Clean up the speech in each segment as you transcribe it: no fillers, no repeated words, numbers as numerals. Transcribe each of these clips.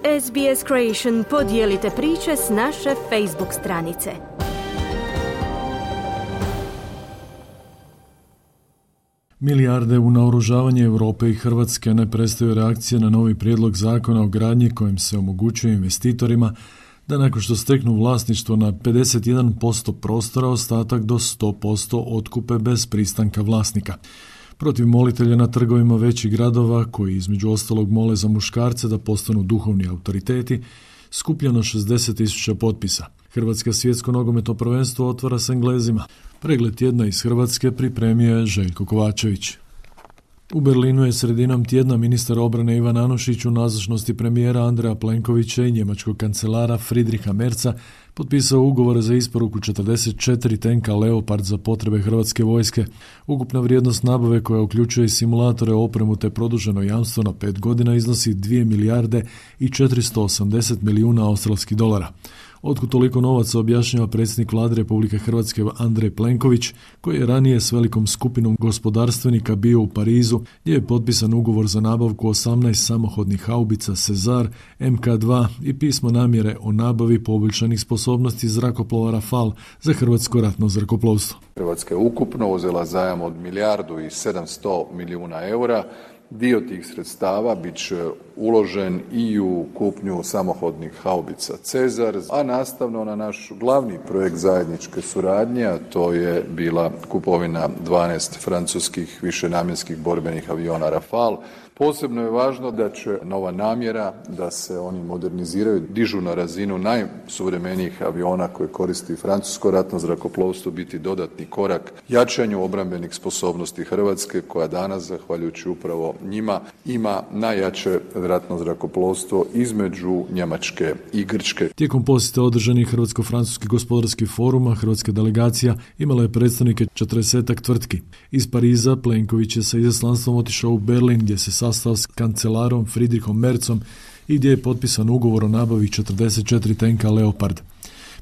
SBS Creation, podijelite priče s naše Facebook stranice. Milijarde u naoružavanje Europe i Hrvatske ne prestaju reakcije na novi prijedlog zakona o gradnji kojim se omogućuje investitorima da nakon što steknu vlasništvo na 51% prostora, ostatak do 100% otkupe bez pristanka vlasnika. Protiv molitelja na trgovima većih gradova, koji između ostalog mole za muškarce da postanu duhovni autoriteti, skupljeno 60.000 potpisa. Hrvatsko svjetsko nogometno prvenstvo otvara s Englezima. Pregled tjedna iz Hrvatske pripremio je Željko Kovačević. U Berlinu je sredinom tjedna ministar obrane Ivan Anušić u nazočnosti premijera Andreja Plenkovića i njemačkog kancelara Friedricha Merza potpisao ugovore za isporuku 44 tenka Leopard za potrebe Hrvatske vojske. Ukupna vrijednost nabave, koja uključuje i simulatore, opremu te produženo jamstvo na 5 godina, iznosi 2 milijarde i 480 milijuna australskih dolara. Otkud toliko novaca, objašnjava predsjednik Vlade Republike Hrvatske Andrej Plenković, koji je ranije s velikom skupinom gospodarstvenika bio u Parizu, gdje je potpisan ugovor za nabavku 18 samohodnih haubica Cezar MK2 i pismo namjere o nabavi poboljšanih sposobnosti zrakoplova Rafale za hrvatsko ratno zrakoplovstvo. Hrvatska je ukupno uzela zajam od 1.700 milijuna eura. Dio tih sredstava bit će uložen i u kupnju samohodnih haubica Cezar, a nastavno na naš glavni projekt zajedničke suradnje, a to je bila kupovina 12 francuskih višenamjenskih borbenih aviona Rafale. Posebno je važno da će nova namjera da se oni moderniziraju, dižu na razinu najsuvremenijih aviona koje koristi francusko ratno zrakoplovstvo, biti dodatni korak jačanju obrambenih sposobnosti Hrvatske, koja danas, zahvaljujući upravo njima, ima najjače ratno zrakoplovstvo između Njemačke i Grčke. Tijekom posjeta održanih Hrvatsko-francuski gospodarski foruma, hrvatska delegacija imala je predstavnike 40 tvrtki. Iz Pariza Plenković je sa izaslanstvom otišao u Berlin, gdje se sastao s kancelarom Friedrichom Merzom i gdje je potpisan ugovor o nabavi 44 tenka Leopard.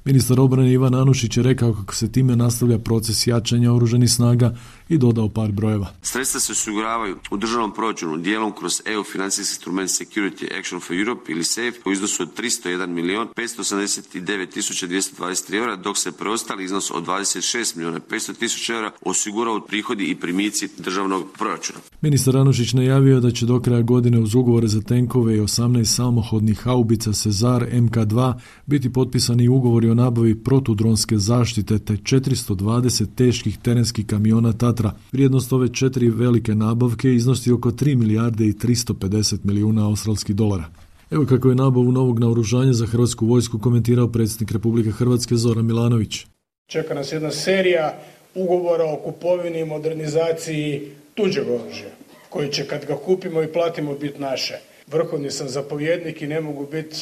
Ministar obrane Ivan Anušić je rekao kako se time nastavlja proces jačanja oružanih snaga i dodao par brojeva. Sredstva se osiguravaju u državnom proračunu dijelom kroz EU financijski instrument Security Action for Europe ili SAFE u iznosu od 301.589.223 eura, dok se preostali iznos od 26.500.000 eura osigurao prihodi i primici državnog proračuna. Ministar Anušić najavio da će do kraja godine uz ugovore za tenkove i 18 samohodnih haubica Cezar MK2 biti potpisani ugovori o nabavi protudronske zaštite te 420 teških terenskih kamiona Tatra. Vrijednost ove 4 velike nabavke iznosi oko 3 milijarde i 350 milijuna australskih dolara. Evo kako je nabavu novog naoružanja za hrvatsku vojsku komentirao predsjednik Republike Hrvatske Zoran Milanović. Čeka nas jedna serija ugovora o kupovini i modernizaciji tuđeg oružja, koji će, kad ga kupimo i platimo, biti naše. Vrhovni sam zapovjednik i ne mogu biti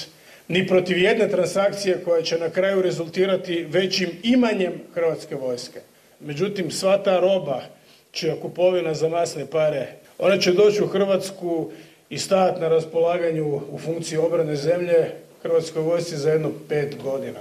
ni protiv jedne transakcije koja će na kraju rezultirati većim imanjem hrvatske vojske. Međutim, sva ta roba, čija kupovina za masne pare, ona će doći u Hrvatsku i stajati na raspolaganju u funkciji obrane zemlje hrvatskoj vojsci za jedno 5 godina.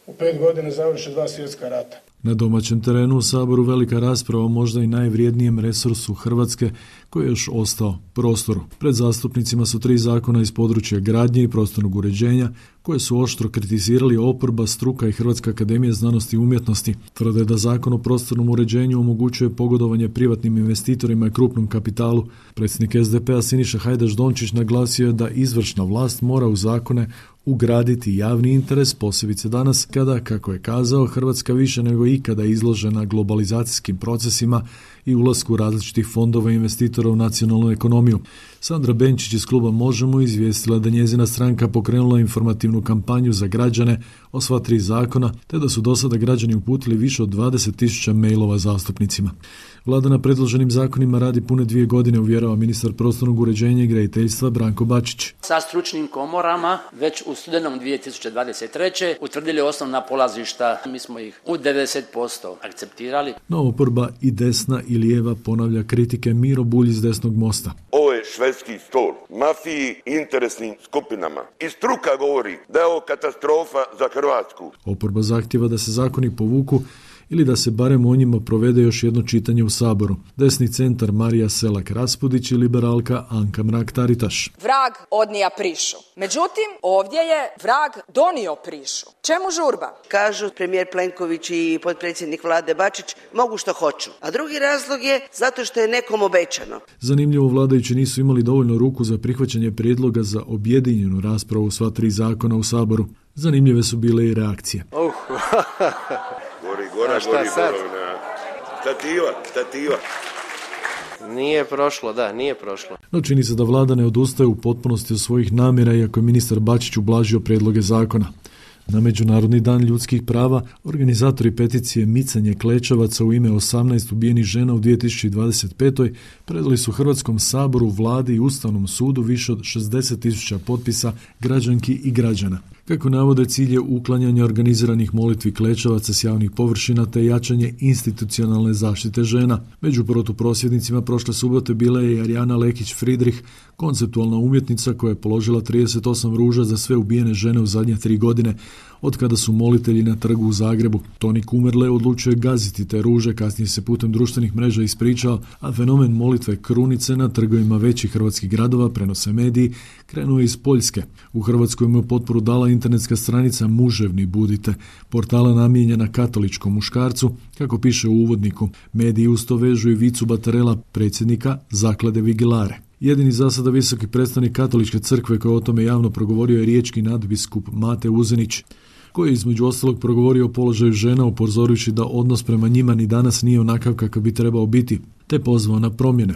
U 5 godina završe 2 svjetska rata. Na domaćem terenu u Saboru velika rasprava o možda i najvrijednijem resursu Hrvatske koji je još ostao, prostoru. Pred zastupnicima su 3 zakona iz područja gradnje i prostornog uređenja koje su oštro kritizirali oporba, struka i Hrvatska akademija znanosti i umjetnosti. Tvrde da zakon o prostornom uređenju omogućuje pogodovanje privatnim investitorima i krupnom kapitalu. Predsjednik SDP-a Siniša Hajdaš Dončić naglasio je da izvršna vlast mora u zakone ugraditi javni interes, posebice danas kada, kako je kazao, Hrvatska više nego ikada izložena globalizacijskim procesima i ulasku različitih fondova i investitora u nacionalnu ekonomiju. Sandra Benčić iz kluba Možemo izvijestila da njezina stranka pokrenula informativnu kampanju za građane o sva 3 zakona, te da su do sada građani uputili više od 20.000 mailova zastupnicima. Vlada na predloženim zakonima radi pune 2 godine, uvjerava ministar prostornog uređenja i graditeljstva Branko Bačić. Sa stručnim komorama već u studenom 2023. utvrdili osnovna polazišta. Mi smo ih u 90% akceptirali. No oporba i desna i lijeva ponavlja kritike. Miro Bulj iz Desnog mosta. Ovo je švedski stol mafiji i interesnim skupinama. I struka govori da je ovo katastrofa za Hrvatsku. Oporba zahtjeva da se zakoni povuku ili da se barem o njima provede još jedno čitanje u Saboru. Desni centar Marija Selak-Raspudić i liberalka Anka Mrak-Taritaš. Vrag odnija prišu. Međutim, ovdje je vrag donio prišu. Čemu žurba? Kažu premijer Plenković i potpredsjednik vlade Bačić mogu što hoću. A drugi razlog je zato što je nekom obećano. Zanimljivo, vladajući nisu imali dovoljno ruku za prihvaćanje prijedloga za objedinjenu raspravu u sva 3 zakona u Saboru. Zanimljive su bile i reakcije. Gori, stativa. Nije prošlo. No čini se da vlada ne odustaje u potpunosti od svojih namjera, iako je ministar Bačić ublažio prijedloge zakona. Na Međunarodni dan ljudskih prava organizatori peticije Micanje klečavaca u ime 18 ubijenih žena u 2025. predali su Hrvatskom saboru, vladi i Ustavnom sudu više od 60.000 potpisa građanki i građana. Kako navode, cilj je uklanjanje organiziranih molitvi klečavaca s javnih površina te jačanje institucionalne zaštite žena. Među protuprosvjednicima prošle subote bila je i Arijana Lekić-Fridrih, konceptualna umjetnica koja je položila 38 ruža za sve ubijene žene u zadnje 3 godine, od kada su molitelji na trgu u Zagrebu. Toni Kumerle odlučio je gaziti te ruže, kasnije se putem društvenih mreža ispričao, a fenomen molitve krunice na trgovima većih hrvatskih gradova, prenose mediji, krenuo je iz Poljske. U Hrvatskoj mu je potporu dala internetska stranica Muževni budite, portala namijenjena katoličkom muškarcu, kako piše u uvodniku. Mediji uz to vežu i Vicu Batarela, predsjednika Zaklade Vigilare. Jedini za sada visoki predstavnik katoličke crkve koji je o tome javno progovorio je riječki nadbiskup Mate Uzenić, koji je između ostalog progovorio o položaju žena, upozorujući da odnos prema njima ni danas nije onakav kakav bi trebao biti, te pozvao na promjene.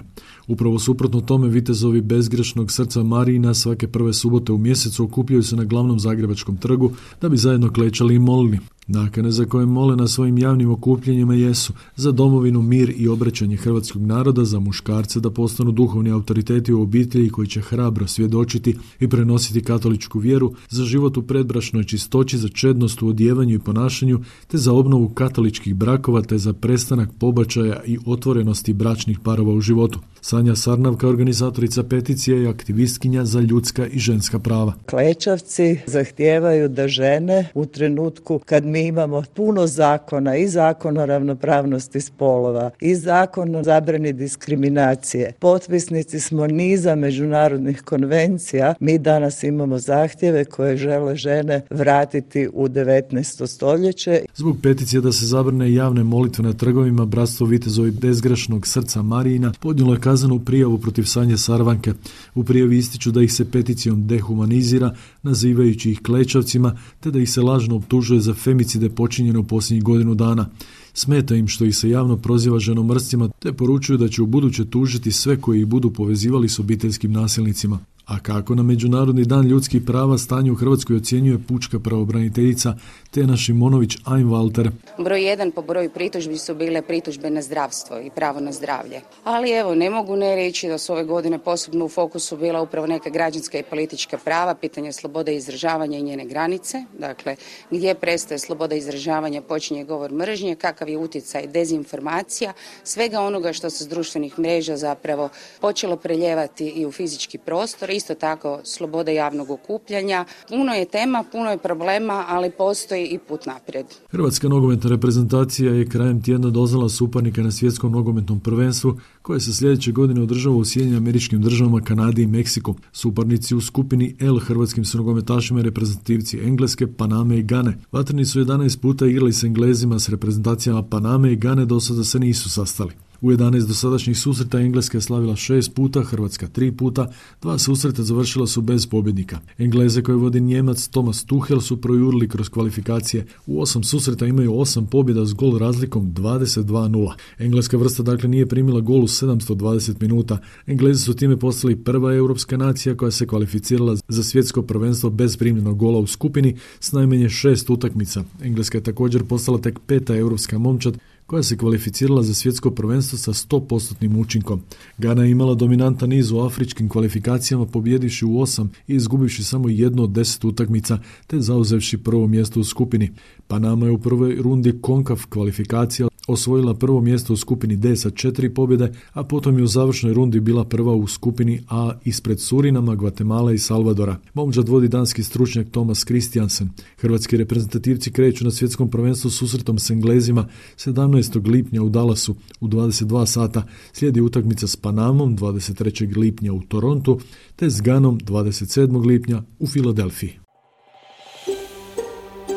Upravo suprotno tome, vitezovi bezgrešnog srca Marijina svake prve subote u mjesecu okupljaju se na glavnom zagrebačkom trgu da bi zajedno klečali i molili. Nakane za koje mole na svojim javnim okupljenjima jesu za domovinu, mir i obraćanje hrvatskog naroda, za muškarce da postanu duhovni autoriteti u obitelji koji će hrabro svjedočiti i prenositi katoličku vjeru, za život u predbračnoj čistoći, za čednost u odjevanju i ponašanju, te za obnovu katoličkih brakova, te za prestanak pobačaja i otvorenosti bračnih parova u životu. Sanja Sarnavka, organizatorica peticije i aktivistkinja za ljudska i ženska prava. Klečavci zahtijevaju da žene u trenutku kad mi imamo puno zakona, i zakon o ravnopravnosti spolova, i zakon o zabrani diskriminacije, potpisnici smo niza međunarodnih konvencija, mi danas imamo zahtjeve koje žele žene vratiti u 19. stoljeće. Zbog peticije da se zabrane javne molitve na trgovima, Bratstvo vitezovi bezgrešnog srca Marijina podnijelo je kaznenu prijavu protiv Sanje Sarvanke. U prijavi ističu da ih se peticijom dehumanizira, nazivajući ih klečavcima, te da ih se lažno optužuje za femicide počinjene u posljednjih godinu dana. Smeta im što ih se javno proziva ženomrscima, te poručuju da će ubuduće tužiti sve koji ih budu povezivali s obiteljskim nasilnicima. A kako na Međunarodni dan ljudskih prava stanje u Hrvatskoj ocjenjuje pučka pravobraniteljica Tena Šimonović-Einwalter. Broj 1 po broju pritužbi su bile pritužbe na zdravstvo i pravo na zdravlje. Ali evo, ne mogu ne reći da su ove godine posebno u fokusu bila upravo neka građanska i politička prava, pitanje slobode izražavanja i njene granice. Dakle, gdje prestaje sloboda izražavanja, počinje govor mržnje, kakav je utjecaj dezinformacija, svega onoga što se s društvenih mreža zapravo počelo preljevati i u fizički prostor. Isto tako sloboda javnog okupljanja. Puno je tema, puno je problema, ali postoji i put naprijed. Hrvatska nogometna reprezentacija je krajem tjedna doznala suparnika na svjetskom nogometnom prvenstvu koje se sljedeće godine održava u Sjedinjenim Američkim Državama, Kanadi i Meksiku. Suparnici u skupini L hrvatskim su nogometašima reprezentativci Engleske, Paname i Gane. Vatreni su 11 puta igrali s Englezima, s reprezentacijama Paname i Gane do sada se nisu sastali. U 11 dosadašnjih susreta Engleska je slavila 6 puta, Hrvatska 3 puta, 2 susreta završila su bez pobjednika. Engleze koje vodi Njemac Thomas Tuchel su projurili kroz kvalifikacije. U 8 susreta imaju 8 pobjeda s gol razlikom 22-0. Engleska vrsta dakle nije primila gol u 720 minuta. Englezi su time postali prva europska nacija koja se kvalificirala za svjetsko prvenstvo bez primljenog gola u skupini s najmanje 6 utakmica. Engleska je također postala tek 5. europska momčad koja se kvalificirala za svjetsko prvenstvo sa 100% učinkom. Gana je imala dominantan niz u afričkim kvalifikacijama, pobjedivši u 8 i izgubivši samo 1 od 10 utakmica, te zauzevši prvo mjesto u skupini. Panama je u prvoj rundi CONCACAF kvalifikacija osvojila prvo mjesto u skupini D sa 4 pobjede, a potom je u završnoj rundi bila prva u skupini A ispred Surinama, Gvatemala i Salvadora. Momčad vodi danski stručnjak Thomas Christiansen. Hrvatski reprezentativci kreću na svjetskom prvenstvu susretom s Englezima 17. lipnja u Dallasu u 22 sata. Slijedi utakmica s Panamom 23. lipnja u Torontu te s Ganom 27. lipnja u Filadelfiji.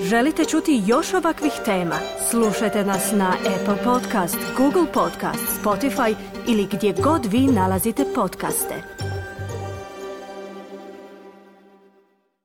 Želite čuti još ovakvih tema? Slušajte nas na Apple Podcast, Google Podcast, Spotify ili gdje god vi nalazite podcaste.